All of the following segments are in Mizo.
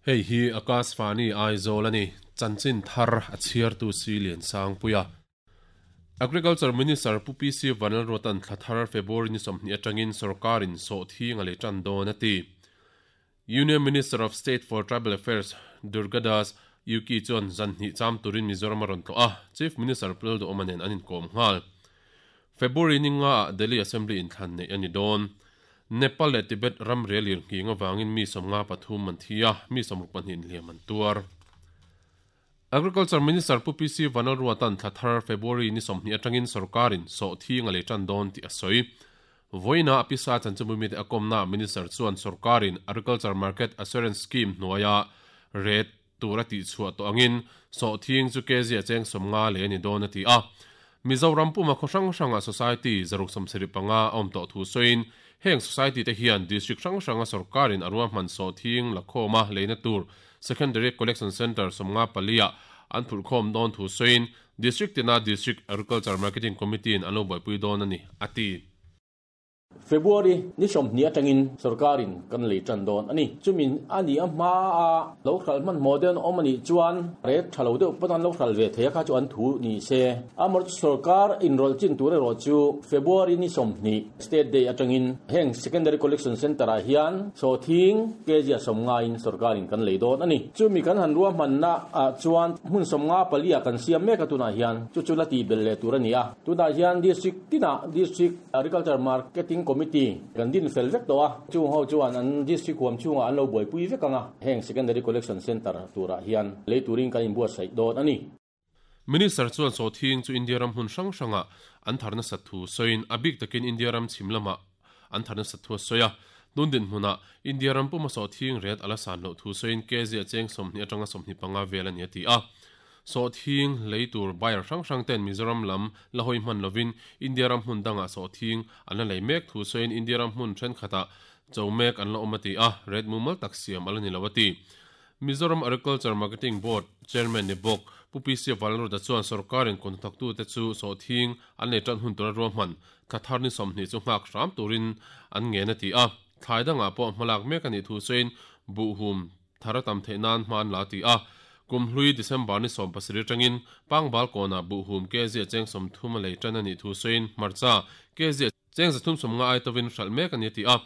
Hei hi Akashvani Aizawl a ni, chanchin thar a chhiartu si Liansangpuia. Agriculture Minister Pu PC Vanlalruata'n thla thar February ni 20 atangin sawrkarin sawhthing a lei tan dawn a ti. Union Minister of State for Tribal Affairs Durgadas Uikey chuan zan hnih cham turin Mizoram a rawn tlawh a, Chief Minister Pu Lalduhawma nen an inkawm nghal. February ni ngaah Delhi Assembly inthlan neih a ni dawn. Nepal leh Tibet ram rel ir nghing avangin mi 53 an thi a, mi 62 inhliam an tuar. Agriculture Minister Pu PC Vanlalruata'n thla thar February ni 20 atangin sawrkarin sawhthing a lei tan dawn tih a sawi. Vawiina a pisa chanchinbu mite a kawmnaah Minister chuan sawrkarin Agriculture Market Assurance Scheme hnuaia ret tur a tihchhuah tawh angin sawhthing chu kg a cheng 50 lei a ni dawn a ti a. Mizoram puma khaw hrang hranga society 175 a awm tawh thu sawiin heng society te hian district hrang hranga sawrkarin a ruahman sawhthing lakhawma leina tur Secondary Collection Centre 54 ah an phurhkhawm dawn thu sawiin District tina District Agriculture Marketing Committee in an lo buaipui dawn a ni, a ti. February ni 20 atangin sawrkarin kan lei tan dawn a ni. Chumi a ni a hma a lo hral hmanhmawh deuh an awm a nih chuan rate tha lo deuh pawn an lo hral ve thei a kha chu an thu ni se. Amaherawhchu sawrkar inrawlh chin tur erawh chu February ni 20 State Day atangin heng Secondary Collection Centre ah hian sawhthing kg a 50 in sawrkarin kan lei dawn a ni. Chumi kan han ruahmanna ah chuan hmun 54 ah kan siam mek a tunah hian chu chu la tih belh leh tur a ni a. Tunah hian District tinah District Agriculture Marketing Committee kan din fel vek tawh a, chung ho chuan an District huam chhungah an lo buaipui vek ang a, heng Secondary Collection Centre turah hian lei turin kan inbuatsaih dawn a ni. Minister chuan sawhthing chu India ram hmun hrang hrangah an thar nasat thu sawiin a bik takin India ram chhim lamah an thar nasat thu a sawi a. Tun dinhmunah India ram puma sawhthing ret a la san loh thu sawiin kg a cheng 20 atanga 25 vel a ni a ti a. Sawhthing lei tur buyer hrang hrang ten Mizoram lam la hawi hman lovin India ram hmun dangah sawhthing an la lei mek thu sawiin India ram hmun thenkhatah cho mek an la awm a ti a, ret mumal tak siam a la ni lo a ti. Mizoram Agriculture Marketing Board Chairman ni bawk Pu PC Vanlalruta chuan sawrkarin kut hnathawktute chu sawhthing an lei tan hun tura ruahman thla thar ni 20 chu nghak hram turin an ngen a ti a. Thlai dangah pawh hmalak mek a nih thu sawiin buhhum thar a tam theih nan hma an la a ti a. Kum hlui December ni 17 atangin Pangbal kawnah buhhum kg a cheng 30 a lei tan a nih thu sawiin hmarcha kg a cheng 350 ai tovin hralh mek a ni a ti a.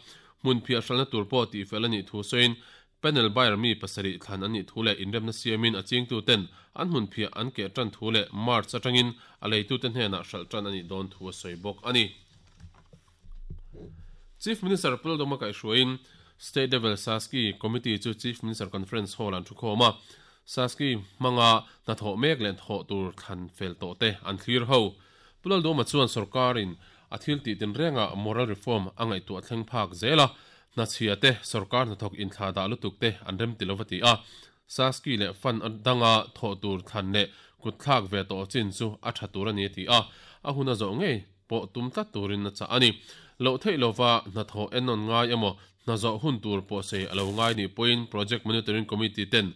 Hmun phiah hralhna tur pawh tihfel a nih thu sawiin Panel buyer mi pasarih thlan an nih thu leh inremna siamin a chingtuten an hmun phiah an keh tan thu leh March atangin a leitute hnenah hralh tan a nih dawn thu a sawi bawk a ni. Chief Minister Pu Lalduhma kaihhruaiin State Level Saski Committee chu Chief Minister Conference Hall an thukhawm a, Saski hmanga hnathawh mek leh thawh tur thlan fel tawh te an thlir ho. Pu Lalduhma chuan sawrkarin a thil tih tinrengah moral reform a ngaihtuah thleng phak zel a, Hnachhia te, sawrkar hnathawk inthlah dah lutuk te an rem ti lo va ti a, Saski leh fund danga thawh tur thlan leh kut thlak ve tawh chin chu a tha tur a ni a ti a, a hun a zawh ngei pawh tum tlat turin a chah a ni. Loh theih lova hnathawh ennawn ngai emaw hna zawh hun tur pawh sei a lo ngai nih pawhin Project Monitoring Committee ten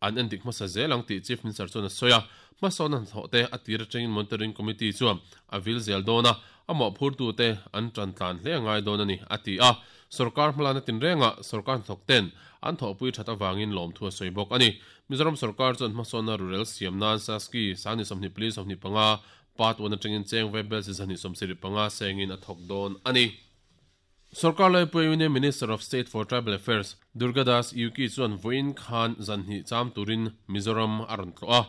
an endik hmasa zel ang tih Chief Minister chuan a sawi a, hmasawnna hnathawh te a tir atangin Monitoring Committee chuan a vil zel dawn a, a mawhphurtu te an tan tlan hle a ngai dawn a ni, a ti a. Sorkar hmalakna tinrengah sorkar hnathawk ten an thawhpui that avangin lawmthu a sawi bawk a ni. Mizoram sorkar chuan hmasawnna rurel siam nan Saski sangni 24 25 part 1 atangin cheng vaibel chi 175 sengin a thawk dawn a ni. Sorkar Laipui Union Minister of State for Tribal Affairs Durgadas Uikey chuan vawiin khan zan hnih cham turin Mizoram a rawn tlawh a.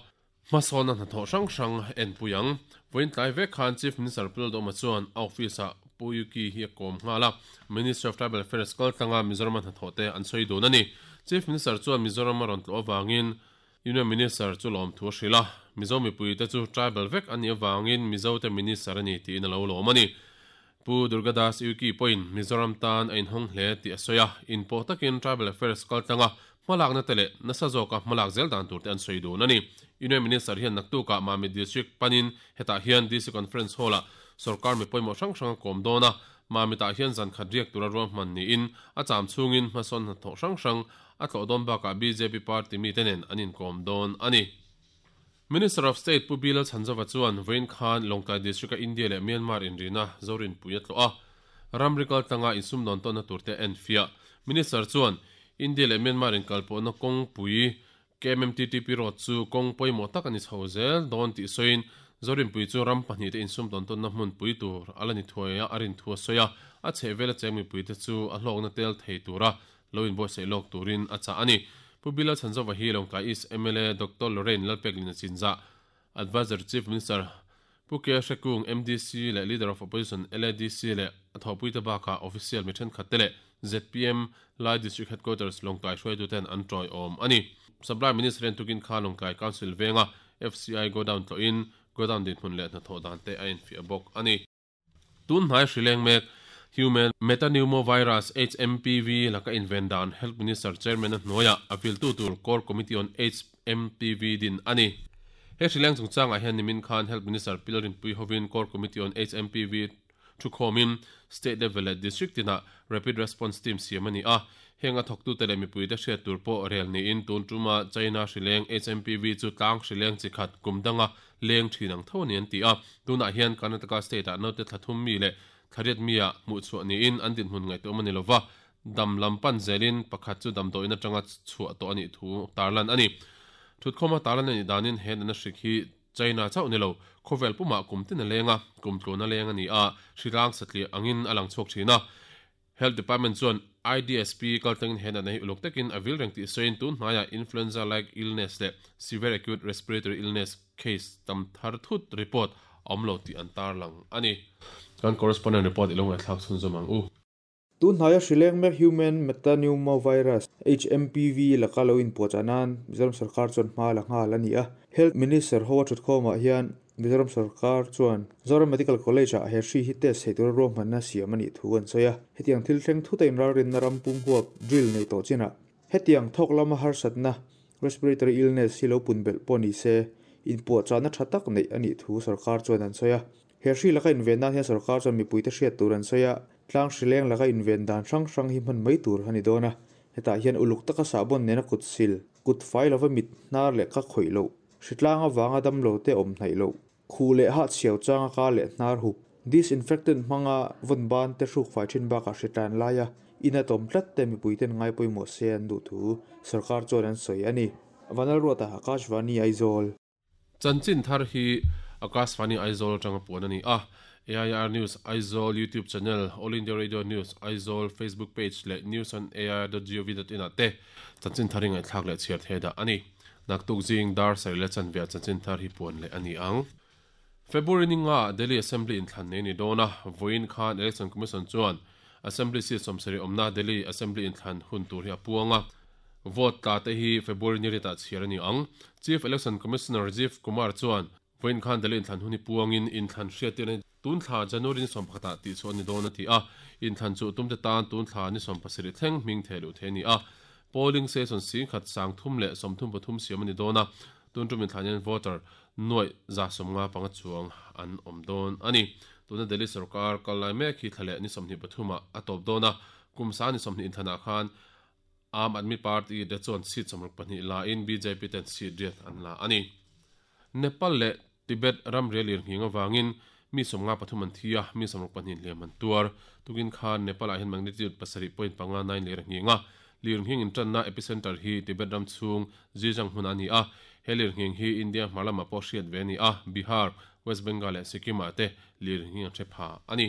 Hmasawnna hnathawh hrang hrang enpui ang. Vawiin tlai vek khan Chief Minister Pu Lalduhoma chuan a office-ah Pu Uikey hi a kawm nghal a, Ministry of Tribal Affairs kaltlanga Mizorama hnathawh te an sawi dun a ni. Chief Minister chuan Mizoram a rawn tlawh avangin Union Minister chu lawmthu a hrilh a, Mizo mipuite chu tribal vek a nih avangin Mizote Minister a ni tiin a lo lawm a ni. Pu Durgadas Uikey pawhin Mizoram tan a inhawng hle tih a sawi a, inpawh takin Tribal Affairs kaltlanga hmalakna te leh nasa zawka hmalak zel dan tur te an sawi dun a ni. Union Minister hian naktukah Mamit District panin hetah hian DC Conference Hall-ah sorkar mi pawimawh hrang hrang a kawm dawn a, Mamitah hian zan khat riak tura ruahman niin a cham chhungin hmasawn hnathawh hrang hrang a tlawh dawn bakah bjp party mite nen an inkawm dawn a ni. Minister of State Pu Bilal Chhanzova chuan vawiin khan Lawngtlai District-a India leh Myanmar inrina Zorinpui a tlawh a, ramri kaltlanga insumdawn tawnna turte a enfiah. Minister chuan, India leh Myanmar inkalpawhna kawngpui KMMTTP road chu kawng pawimawh tak a ni chho zel dawn tih sawiin Zorinpui chu ram pahnihte insum tawn tawnna hmunpui tur a la ni thuai a, a rin thu a sawi a, a chhehvela cheng mipuite chu a hlawkna tel thei tura lo inbuatsaih lawk turin a chah a ni. Pu Bilal Chhanzova hi Lawngtlai East mla Doctor Lorraine Lalpeklina Chinzah, Adviser Chief Minister Pu K Hrekung, MDC leh Leader of Opposition LADC leh a thawhpuite bakah official mi thenkhatte leh zpm Lai District Headquarters Lawngtlai hruaituten an tawiawm a ni. Supply Minister hian tukin kha Lawngtlai Council venga FCI Godown tlawhin Godown dinhmun leh hnathawh dan te a enfiah bawk a ni. Tun hnai hri leng mek Human Metapneumovirus, HMPV, laka inven dan Health Minister Chairman-a hnuaiah a viltu tur Core Committee on HMPV din a ni. He hri leng chungchangah hian nimin khan Health Minister Pil Rinpui hovin Core Committee on HMPV Thukhawmin State level leh District tinah Rapid Response Team siam a ni a, heng a thawktute leh mipuite hriat tur pawh rel niin tun tuma China hrileng HMPV chu tlang hrileng chi khat kum danga leng thin ang tho a ni an ti a. Tunah hian Karnataka State-ah naute thla thum mi leh thla riat mi-ah hmuhchhuah niin an dinhmun ngaihtuahawm a ni lova, dam lam pan zelin pakhat chu damdawiin atanga chhuah tawh a nih thu tarlan a ni. Thutkhawma tarlan a nih danin he natna hrik hi China chauh ni lo, khawvel pumah kum tin a leng a, kum tluan a leng a ni a, hri rang satliah angin a lang chhuak thin a. Health Department chuan IDSP kaltlangin he natna hi uluk takin a vil reng tih sawiin tun hnaiah influenza-like illness leh severe acute respiratory illness case tam thar thut report a awm lo tih an tarlang a ni. Kan correspondent report i lo ngaihthlak chhunzawm ang u. Tun hnaia hrileng mek Human Metapneumovirus, HMPV, laka lo inpuahchah nan Mizoram sorkar chuan hma la nghal a ni a. Health Minister ho a thutkhawmah hian Mizoram sorkar chuan Zoram Medical College-ah he hri hi test theih tura ruahmanna siam a nih thu an sawi a. Hetiang thil thleng thuta inralrinna ram pum huap drill nei tawh chinah hetiang thawk lama harsatna, respiratory illness, hi lo pun belh pawh ni se, inpuahchahna tha tak neih a nih thu sorkar chuan an sawi a. He hri laka inven nan hian sorkar chuan mipuite hriat tur an sawi a, tlang hrileng laka inven dan hrang hrang hi hman mai tur a ni dawn a. Hetah hian uluk taka sahbawn nena kut sil, kut fai lova mit hnar leh ka khawih loh, hritlang avanga damlo te awm hnaih loh, khuh leh hahchhiau changa ka leh hnar hup, disinfectant hmanga vawn ban te hruk fai thin bakah hritlan laia ina tawm tlat te mipuiten ngai pawimawh se an duh thu sorkar chuan an sawi a ni. Vanlalruata, Akashvani, Aizawl. Chanchin thar hi Akashvani Aizawl atanga puan a ni a, AIR News Aizawl YouTube channel, All India Radio News Aizawl Facebook page leh news on air dot gov dot in ah te chanchin thar hi ngaihthlak leh chhiar thei dah a ni. Naktuk zing dar sarih leh chanve ah chanchin thar hi puan leh a ni ang. February ni nga ah Delhi Assembly inthlan nei a ni dawn a, vawiin khan Election Commission chuan Assembly seat sawmsarih awmna Delhi Assembly inthlan hun tur hi a puang a, vote tla te hi February ni riatah chhiar a ni ang. Chief Election Commissioner Rajiv Kumar chuan vawiin khan Delhi inthlan hun hi puangin inthlan hriattirna hi tun thla January ni sawmpakhatah tihchhuah a ni dawn a ti a, inthlan chu tumte tan tun thla ni sawmpasarih thleng hming theh luh thei a ni a. Polling station singkhat 333 siam a ni dawn a, Tun tum inthlan hian voter nuaih 155 chuang an awm dawn a ni. Tuna Delhi sorkar kal lai mek hi thla leh ni 23 ah a tawp dawn a, kum sa ni 20 inthlanah khan Aam Aadmi Party te chuan seat 62 la in bjp ten seat riat an la a ni. Nepal leh Tibet ramria lirnghing avangin mi 53 an thi a, mi 62 hliam an tuar. Tukin khan Nepal-ah hian magnitude 7.59 lir a nghing a. Lirnghing intanna epicenter hi Tibet ram chhung Xizang hmunah a ni a. He lirnghing hi India hmar lamah pawh hriat ve a ni a, Bihar, West Bengal leh Sikkim-ah te lirnghing a hre pha a ni.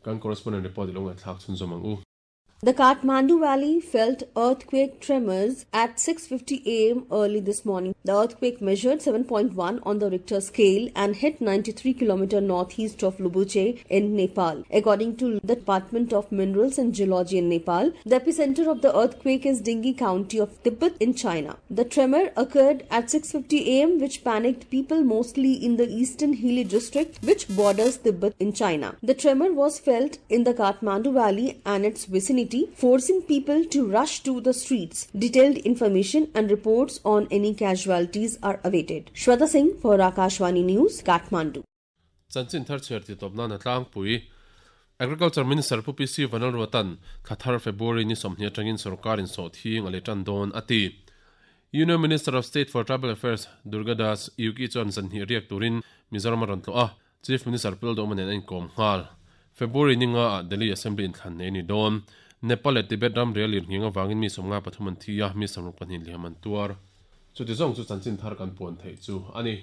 Kan correspondent report i lo ngaihthlak chhunzawm ang u. The Kathmandu Valley felt earthquake tremors at 6:50 am early this morning. The earthquake measured 7.1 on the Richter scale and hit 93 km northeast of Lobuche in Nepal. According to the Department of Minerals and Geology in Nepal, the epicenter of the earthquake is Dingyi County of Tibet in China. The tremor occurred at 6:50 am which panicked people mostly in the eastern Hili district which borders Tibet in China. The tremor was felt in the Kathmandu Valley and its vicinity, forcing people to rush to the streets. Detailed information and reports on any casualties are awaited. Shweta Singh for Akashvani News, Kathmandu. Chanchin thar chhiar tih tawp nan a tlangpui. Agriculture Minister Pu PC Vanlalruata'n thla thar February ni 20 atangin sorkar in sawhthing a lei tan dawn a ti. Union Minister of State for Tribal Affairs Durga Das Uki chuan zanhnih riak turin Mizoram a rawn tlawh a, Chief Minister Pu Lalduhoma nen a inkawm nghal. February ni nga ah Delhi Assembly inthlan nei a ni dawn. Nepal leh Tibet ramria lirnghing avangin mi 53 an thi a, mi 62 hliam an tuar. Chuti zawng chu chanchin thar kan puan theih chu a ni.